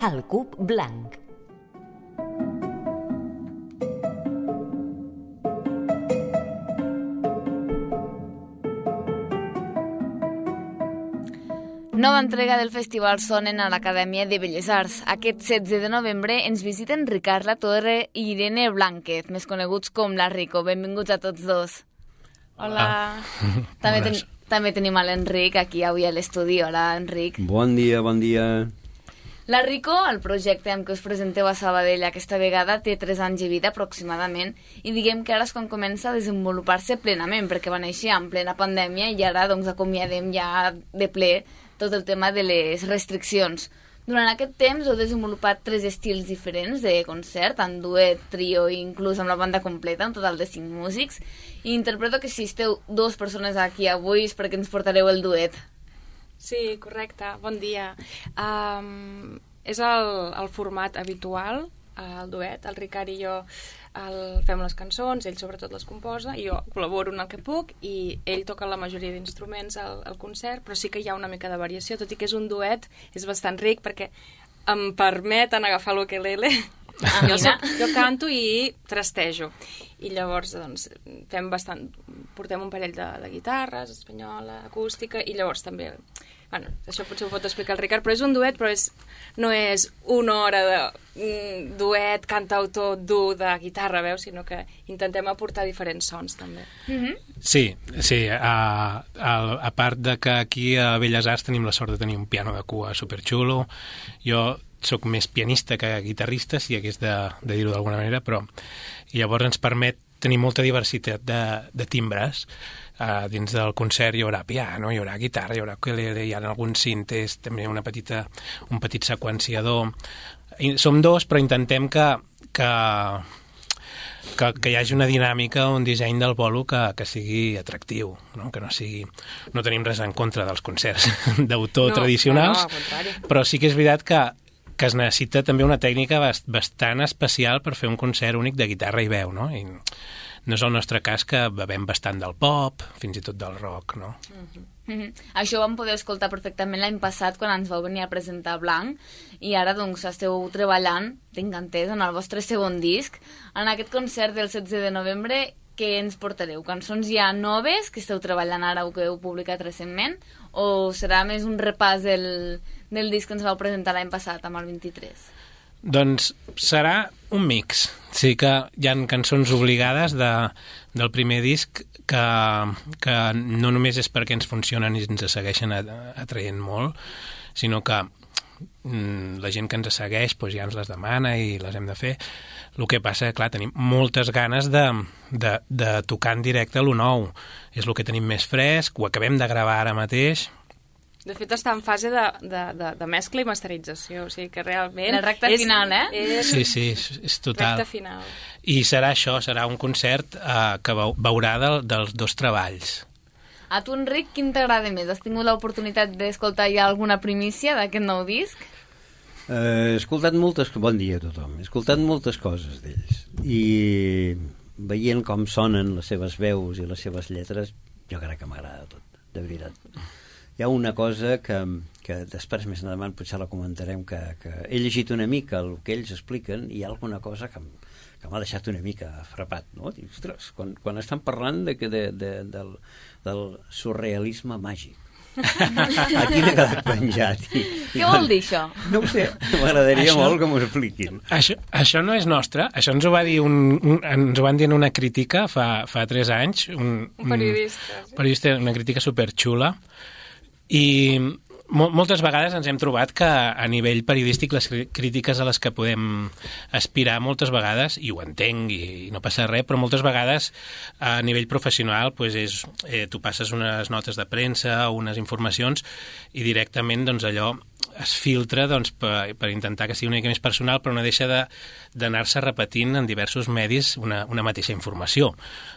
El Cub Blanc. Nova entrega del Festival Sonen a l'Acadèmia de Belles Arts. Aquest 16 de novembre ens visiten Ricard Latorre i Irene Blánquez, més coneguts com la Rico. Benvinguts a tots dos. Hola. També tenim a l'Enric aquí avui a l'estudi. Hola, Enric. Bon dia, bon dia. La Rico, el projecte amb què us presenteu a Sabadell aquesta vegada, té 3 anys de vida aproximadament i diguem que ara és quan comença a desenvolupar-se plenament, perquè va néixer en plena pandèmia i ara doncs acomiadem ja de ple tot el tema de les restriccions. Durant aquest temps heu desenvolupat 3 estils diferents de concert, en duet, trio i inclús amb la banda completa, un total de 5 músics, i interpreto que si esteu 2 persones aquí avui és perquè ens portareu el duet. Sí, correcte. Bon dia. És el format habitual, el duet. El Ricard i jo fem les cançons, ell sobretot les composa, i jo col·laboro en el que puc, i ell toca la majoria d'instruments al concert, però sí que hi ha una mica de variació, tot i que és un duet, és bastant ric, perquè em permeten agafar l'ukelele. Jo canto i trastejo. I llavors doncs, portem un parell de guitarres, espanyola, acústica, i llavors també... Bueno, això potser ho pot explicar el Ricard, però és un duet, però no és una hora de duet, cantautor dur de guitarra, veus, sinó que intentem aportar diferents sons, també. Sí, a part de que aquí a Belles Arts tenim la sort de tenir un piano de cua superxulo, jo soc més pianista que guitarrista, si hagués de dir-ho d'alguna manera, però llavors ens permet tenir molta diversitat de timbres. Dins del concert hi haurà piano, hi haurà guitarra, hi haurà ukelele, hi ha alguns cintes, també un petit seqüenciador. Som 2, però intentem que hi hagi una dinàmica, un disseny del bolo que sigui atractiu, no? Que no tenim res en contra dels concerts d'autor tradicionals, però sí que és veritat que es necessita també una tècnica bastant especial per fer un concert únic de guitarra i veu, no? I no és el nostre cas, que bevem bastant del pop, fins i tot del rock, no? Això ho vam poder escoltar perfectament l'any passat quan ens vau venir a presentar Blanc, i ara doncs esteu treballant, tinc entès, en el vostre segon disc. En aquest concert del 16 de novembre, què ens portareu? Cançons ja noves que esteu treballant ara o que heu publicat recentment, o serà més un repàs del disc que ens vau presentar l'any passat, amb el 23? Doncs serà un mix. Sí que hi ha cançons obligades del primer disc que no només és perquè ens funcionen i ens segueixen atraient molt, sinó que la gent que ens segueix doncs ja ens les demana i les hem de fer. El que passa, clar, tenim moltes ganes de tocar en directe lo nou. És el que tenim més fresc, ho acabem de gravar ara mateix. De fet, està en fase de mescla i masterització, o sigui que realment... La recta final, eh? Sí, és total. Recta final. I serà això, serà un concert que veurà dels 2 treballs. A tu, Enric, quin t'agrada més? Has tingut l'oportunitat d'escoltar ja alguna primícia d'aquest nou disc? He escoltat bon dia a tothom. He escoltat moltes coses d'ells. I veient com sonen les seves veus i les seves lletres, jo crec que m'agrada tot, de veritat. Hi ha una cosa que després més endavant potser la comentarem, que he llegit una mica el que ells expliquen i hi ha alguna cosa que m'ha deixat una mica frapat, no? Dic, ostres, quan estan parlant del surrealisme màgic. Aquí m'he quedat penjat. Què vol dir això? No ho sé, m'agradaria molt que m'ho expliquin. Això no és nostre, això ens ho va dir ens ho van dir en una crítica fa 3 anys. Un periodista, una crítica superxula. I moltes vegades ens hem trobat que a nivell periodístic les crítiques a les que podem aspirar moltes vegades, i ho entenc i no passa res, però moltes vegades a nivell professional doncs tu passes unes notes de premsa o unes informacions i directament doncs allò es filtra doncs, per intentar que sigui una mica més personal, però no deixa d'anar-se repetint en diversos medis una mateixa informació,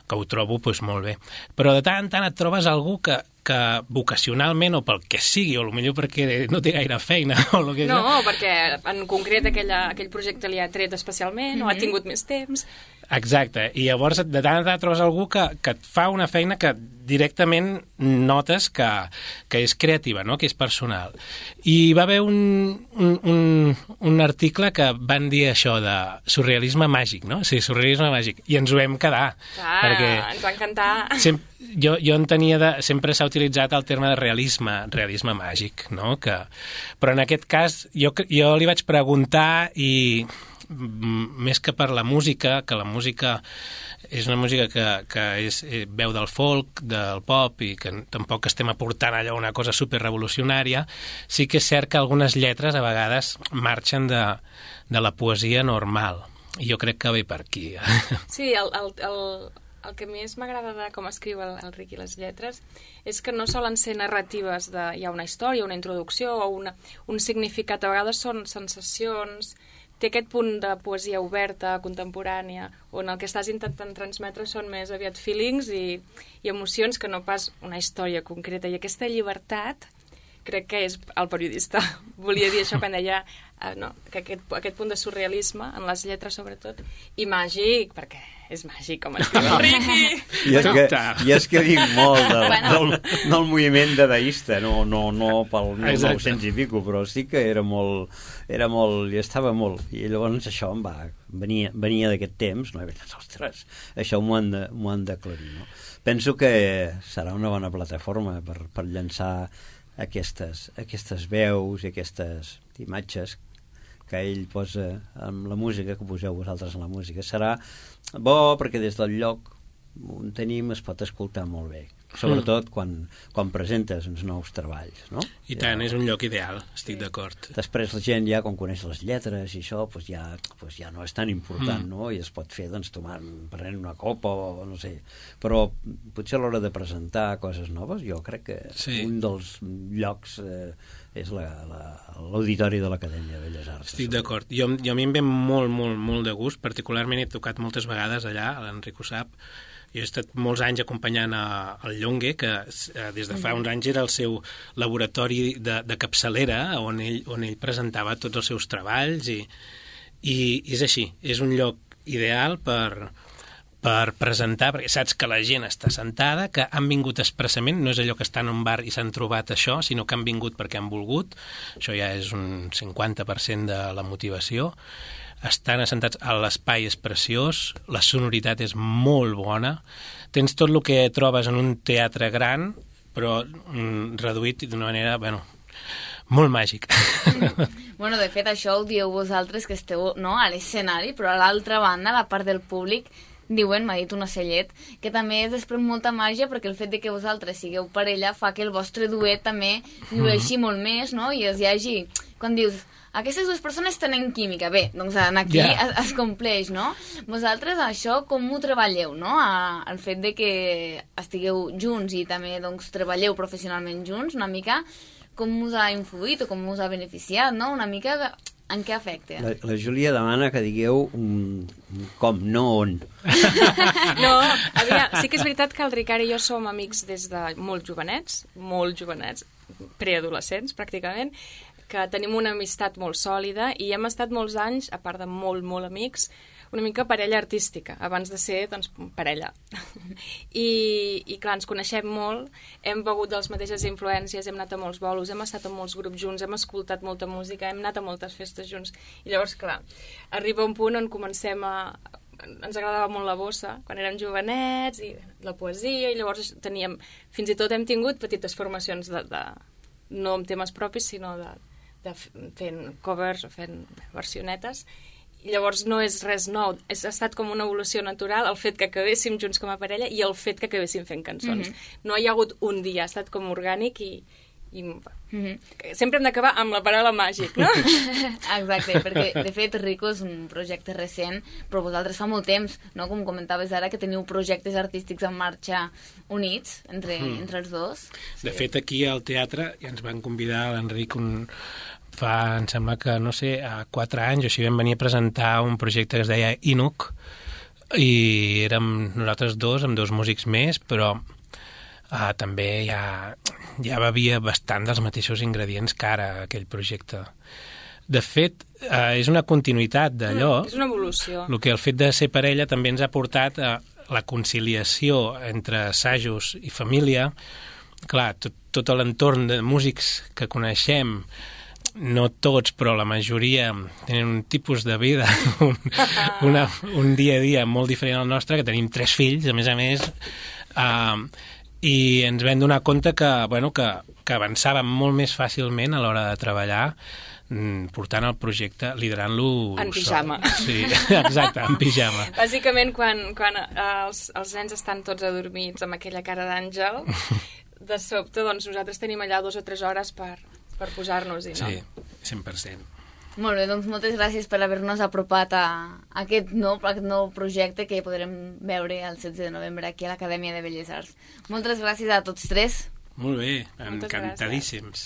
que ho trobo doncs, molt bé. Però de tant en tant et trobes algú que vocacionalment o pel que sigui, o potser perquè no té gaire feina o el que no, perquè en concret aquell projecte li ha tret especialment o ha tingut més temps, Exacte, i llavors de tant en tant trobes algú que et fa una feina que directament notes que és creativa, no? Que és personal. I va haver un article que van dir això de surrealisme màgic, no? Sí, surrealisme màgic, i ens ho vam quedar. Perquè ens va encantar. Jo entenia sempre s'ha utilitzat el terme de realisme màgic, no? Però en aquest cas jo li vaig preguntar i més que per la música, que la música és una música que és veu del folk, del pop, i que tampoc estem aportant allò una cosa superrevolucionària, sí que és cert que algunes lletres a vegades marxen de la poesia normal, i jo crec que ve per aquí. Sí, el que més m'agrada de com escriu el Riqui les lletres és que no solen ser narratives hi ha una història, una introducció o un significat, a vegades són sensacions. Té aquest punt de poesia oberta, contemporània, on el que estàs intentant transmetre són més aviat feelings i emocions que no pas una història concreta. I aquesta llibertat crec que és el periodista. Volia dir això quan deia que aquest punt de surrealisme, en les lletres sobretot, i màgic, perquè és màgic com escriu el Riqui. I és que dic molt del moviment dadaista, no pel 1900 i pico, però sí que era molt, i estava molt, i llavors això venia d'aquest temps, no? Ostres, això m'ho han d'aclarir, no? Penso que serà una bona plataforma per llançar aquestes veus i aquestes imatges que ell posa amb la música, que poseu vosaltres en la música. Serà bo perquè des del lloc on tenim es pot escoltar molt bé, sobretot quan presentes uns nous treballs, no? I tant, és un lloc ideal, estic d'acord. Després la gent ja, quan coneix les lletres i això, ja no és tan important, no? I es pot fer, prenent una copa o no sé. Però potser a l'hora de presentar coses noves, jo crec que un dels llocs és l'auditori de l'Acadèmia de Belles Arts. Estic d'acord. Jo a mi em ve molt, molt, molt de gust, particularment he tocat moltes vegades allà, l'Enric ho sap. Jo he estat molts anys acompanyant el Llongue, que des de fa uns anys era el seu laboratori de capçalera, on ell presentava tots els seus treballs, i és així, és un lloc ideal per presentar, perquè saps que la gent està sentada, que han vingut expressament, no és allò que estan en un bar i s'han trobat això, sinó que han vingut perquè han volgut. Això ja és un 50% de la motivació. Estan assentats, l'espai és preciós, la sonoritat és molt bona, tens tot el que trobes en un teatre gran, però reduït d'una manera, molt màgic. De fet, això ho dieu vosaltres que esteu a l'escenari, però a l'altra banda, a la part del públic, diuen, m'ha dit un ocellet, que també es desprèn molta màgia perquè el fet de que vosaltres sigueu parella fa que el vostre duet també llueixi molt més, no? I hi hagi, quan dius, aquestes dues persones tenen química, bé, doncs aquí es compleix, no? Vosaltres això com ho treballeu, no? El fet de que estigueu junts i també doncs treballeu professionalment junts, una mica com us ha influït o com us ha beneficiat, no? Una mica en què afecta? La Júlia demana que digueu com, no on. No, sí que és veritat que el Ricard i jo som amics des de molt jovenets, preadolescents pràcticament, que tenim una amistat molt sòlida i hem estat molts anys, a part de molt, molt amics, una mica parella artística, abans de ser, doncs, parella. I clar, ens coneixem molt, hem begut de les mateixes influències, hem anat a molts bolos, hem estat en molts grups junts, hem escoltat molta música, hem anat a moltes festes junts. I llavors, clar, arriba un punt on comencem ens agradava molt la bossa, quan érem jovenets, i la poesia, i llavors teníem, fins i tot hem tingut petites formacions no amb temes propis, sinó fent covers o fent versionetes. I llavors no és res nou, ha estat com una evolució natural el fet que acabéssim junts com a parella i el fet que acabéssim fent cançons. No hi ha hagut un dia, ha estat com orgànic i sempre hem d'acabar amb la paraula màgic, no? Exacte, perquè de fet Rico és un projecte recent, però vosaltres fa molt temps, no? Com comentaves ara, que teniu projectes artístics en marxa units entre els dos. De fet, aquí al teatre ja ens van convidar l'Enric em sembla que, no sé, a 4 anys o així vam venir a presentar un projecte que es deia Inuk, i érem nosaltres dos, amb 2 músics més, però també ja bevia bastant dels mateixos ingredients que ara aquell projecte. De fet, és una continuïtat d'allò. És una evolució. El fet de ser parella també ens ha portat a la conciliació entre assajos i família. Clar, tot l'entorn de músics que coneixem, no tots, però la majoria tenen un tipus de vida, un dia a dia molt diferent al nostre, que tenim 3 fills, a més, i ens vam donar compte que avançàvem molt més fàcilment a l'hora de treballar, portant el projecte, liderant-lo... En pijama. Sí, exacte, en pijama. Bàsicament, quan els nens estan tots adormits amb aquella cara d'àngel, de sobte, doncs, nosaltres tenim allà 2 o 3 hores per posar-nos-hi, no? Sí, 100%. Molt bé, doncs moltes gràcies per haver-nos apropat a aquest nou projecte que podrem veure el 16 de novembre aquí a l'Acadèmia de Belles Arts. Moltes gràcies a tots 3. Molt bé, encantadíssims.